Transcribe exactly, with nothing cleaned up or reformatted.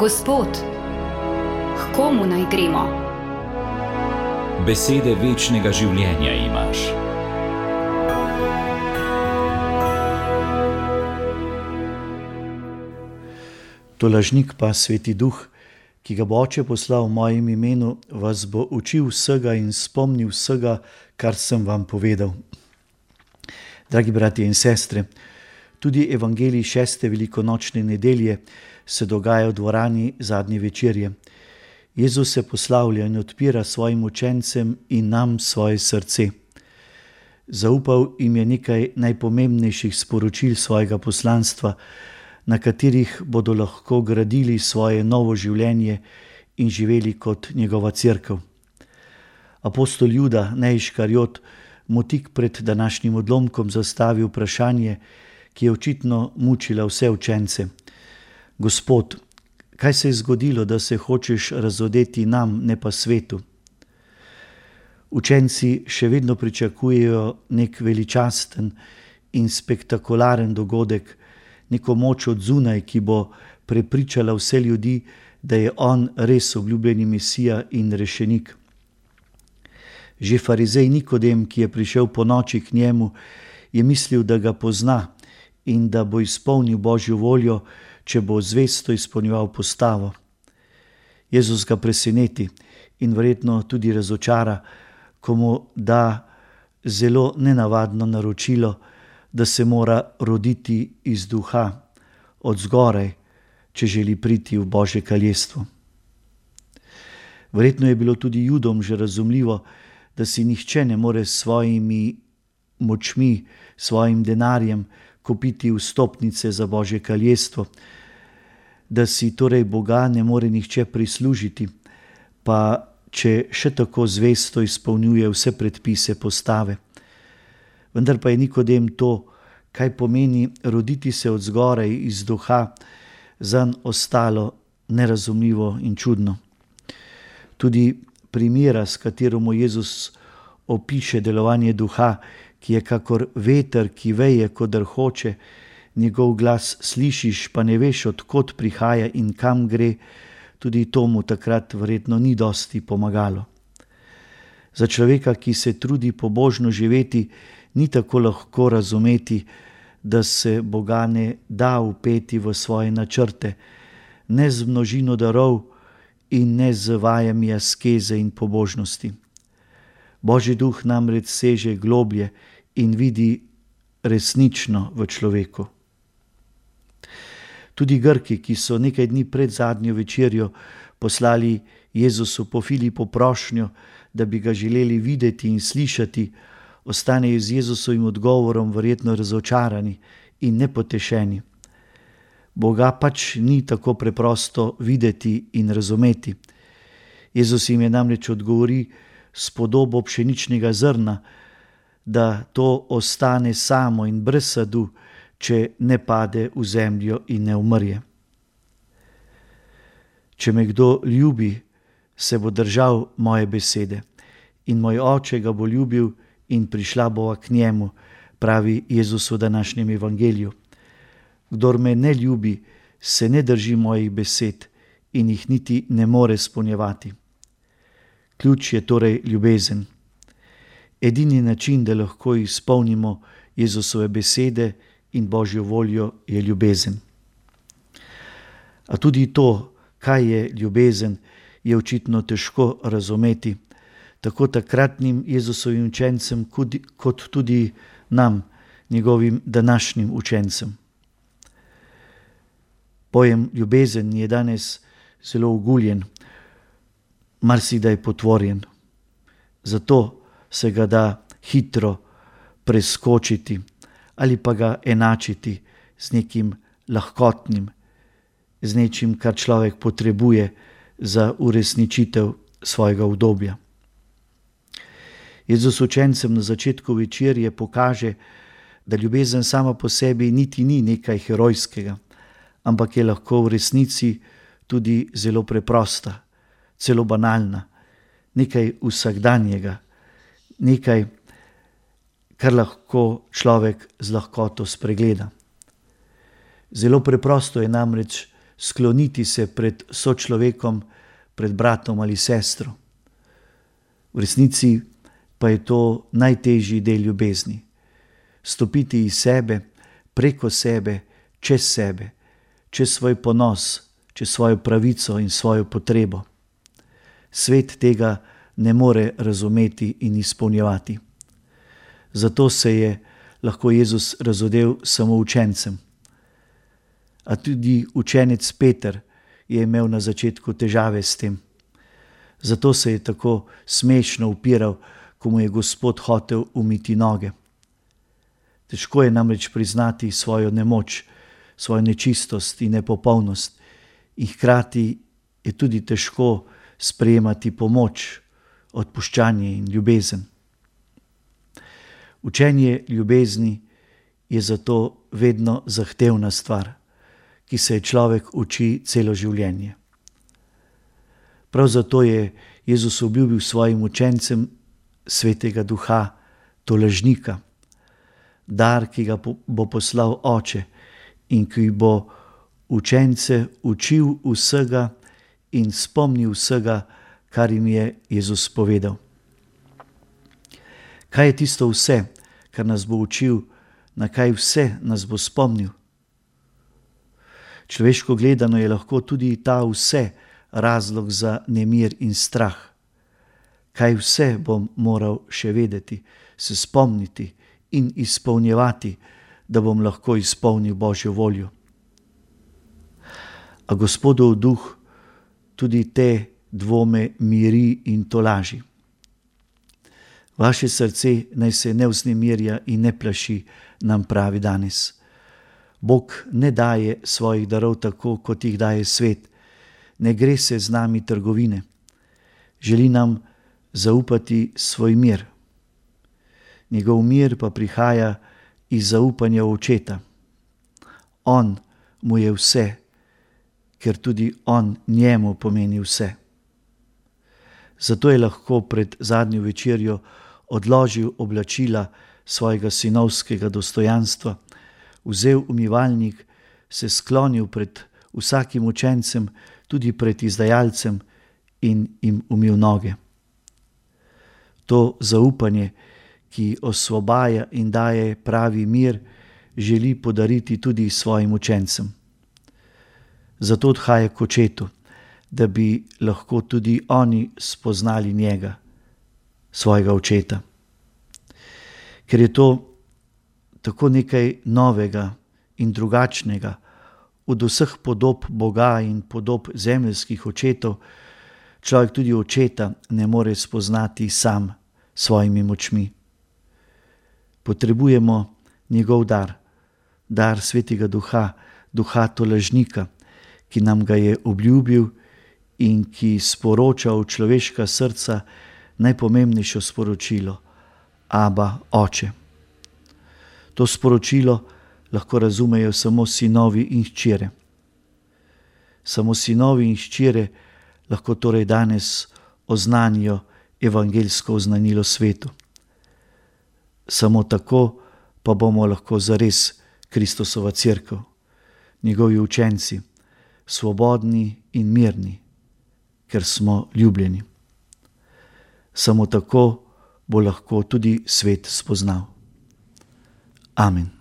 Gospod, k komu naj gremo? Besede večnega življenja imaš. Tolažnik pa Sveti Duh, ki ga bo Oče poslal v mojem imenu, vas bo učil vsega in spomnil vsega, kar sem vam povedal. Dragi bratje in sestre, tudi evangelij šeste velikonočne nedelje se dogaja v dvorani zadnje večerje. Jezus se poslavlja in odpira svojim učencem in nam svoje srce. Zaupal jim je nekaj najpomembnejših sporočil svojega poslanstva, na katerih bodo lahko gradili svoje novo življenje in živeli kot njegova cerkev. Apostol Juda, ne Iškariot, mu tik pred današnjim odlomkom zastavi vprašanje, ki je očitno mučila vse učence. Gospod, kaj se je zgodilo, da se hočeš razodeti nam, ne pa svetu? Učenci še vedno pričakujejo nek veličasten in spektakularen dogodek, neko moč od zunaj, ki bo prepričala vse ljudi, da je on res obljubljeni Mesija in rešenik. Že farizej Nikodem, ki je prišel po noči k njemu, je mislil, da ga pozna in da bo izpolnil Božjo voljo, če bo zvesto izpolnjeval postavo. Jezus ga preseneti in verjetno tudi razočara, ko mu da zelo nenavadno naročilo, da se mora roditi iz duha, od zgoraj, če želi priti v Božje kraljestvo. Verjetno je bilo tudi Judom že razumljivo, da si nihče ne more s svojimi močmi, svojim denarjem kupiti vstopnice za Božje kraljestvo, da si torej Boga ne more nihče prislužiti, pa če še tako zvesto izpolnjuje vse predpise postave. Vendar pa je Nikodem to, kaj pomeni roditi se od zgoraj iz duha, zanj ostalo nerazumljivo in čudno. Tudi primera, s katero mu Jezus opiše delovanje duha, ki je kakor veter, ki veje, kodr hoče, njegov glas slišiš, pa ne veš, od kod prihaja in kam gre, tudi to mu takrat verjetno ni dosti pomagalo. Za človeka, ki se trudi pobožno živeti, ni tako lahko razumeti, da se Boga ne da vpeti v svoje načrte, ne z množino darov in ne z vajami askeze in pobožnosti. Božji duh namreč seže globlje in vidi resnično v človeku. Tudi Grki, ki so nekaj dni pred zadnjo večerjo poslali Jezusu po Filipu prošnjo, da bi ga želeli videti in slišati, ostanejo z Jezusovim odgovorom verjetno razočarani in nepotešeni. Boga pač ni tako preprosto videti in razumeti. Jezus jim je namreč odgovori s podobo pšeničnega zrna, da to ostane samo in brez sadu, če ne pade v zemljo in ne umrje. Če me kdo ljubi, se bo držal moje besede in moj Oče ga bo ljubil in prišla bova k njemu, pravi Jezus v današnjem evangeliju. Kdor me ne ljubi, se ne drži mojih besed in jih niti ne more izpolnjevati. Ključ je torej ljubezen. Edini način, da lahko izpolnimo Jezusove besede in Božjo voljo, je ljubezen. A tudi to, kaj je ljubezen, je očitno težko razumeti, tako takratnim Jezusovim učencem, kot tudi nam, njegovim današnjim učencem. Pojem ljubezen je danes zelo oguljen, marsikdaj potvorjen. Zato se ga da hitro preskočiti ali pa ga enačiti z nekim lahkotnim, z nečim, kar človek potrebuje za uresničitev svojega udobja. Jezus učencem na začetku večerje pokaže, da ljubezen sama po sebi niti ni nekaj herojskega, ampak je lahko v resnici tudi zelo preprosta, celo banalna, nekaj vsakdanjega, nekaj, kar lahko človek z lahkoto spregleda. Zelo preprosto je namreč skloniti se pred sočlovekom, pred bratom ali sestro. V resnici pa je to najtežji del ljubezni. Stopiti iz sebe, preko sebe, čez sebe, čez svoj ponos, čez svojo pravico in svojo potrebo. Svet tega ne more razumeti in izpolnjevati. Zato se je lahko Jezus razodel samo učencem. A tudi učenec Peter je imel na začetku težave s tem. Zato se je tako smešno upiral, ko mu je Gospod hotel umiti noge. Težko je namreč priznati svojo nemoč, svojo nečistost in nepopolnost in hkrati je tudi težko sprejemati pomoč, odpuščanje in ljubezen. Učenje ljubezni je zato vedno zahtevna stvar, ki se je človek uči celo življenje. Prav zato je Jezus obljubil svojim učencem Svetega Duha, tolažnika, dar, ki ga bo poslal Oče in ki bo učence učil vsega in spomnil vsega, kar jim je Jezus povedal. Kaj je tisto vse, kar nas bo učil, na kaj vse nas bo spomnil? Človeško gledano je lahko tudi ta vse razlog za nemir in strah. Kaj vse bom moral še vedeti, se spomniti in izpolnjevati, da bom lahko izpolnil Božjo voljo. A Gospodov duh tudi te dvome miri in tolaži. Vaše srce naj se ne vznemirja in ne plaši, nam pravi danes. Bog ne daje svojih darov tako, kot jih daje svet. Ne gre se z nami trgovine. Želi nam zaupati svoj mir. Njegov mir pa prihaja iz zaupanja v Očeta. On mu je vse, ker tudi on njemu pomeni vse. Zato je lahko pred zadnjo večerjo odložil oblačila svojega sinovskega dostojanstva, vzel umivalnik, se sklonil pred vsakim učencem, tudi pred izdajalcem in jim umil noge. To zaupanje, ki osvobaja in daje pravi mir, želi podariti tudi svojim učencem. Zato odhaja k Očetu, da bi lahko tudi oni spoznali njega, svojega Očeta. Ker je to tako nekaj novega in drugačnega od vseh podob Boga in podob zemeljskih očetov, človek tudi Očeta ne more spoznati sam s svojimi močmi. Potrebujemo njegov dar, dar Svetega Duha, Duha tolažnika, ki nam ga je obljubil in ki sporoča v človeška srca najpomembnejšo sporočilo: Aba, Oče. To sporočilo lahko razumejo samo sinovi in hčere. Samo sinovi in hčere lahko torej danes oznanijo evangeljsko oznanilo svetu. Samo tako pa bomo lahko zares Kristusova cerkev, njegovi učenci, svobodni in mirni, ker smo ljubljeni. Samo tako bo lahko tudi svet spoznal. Amen.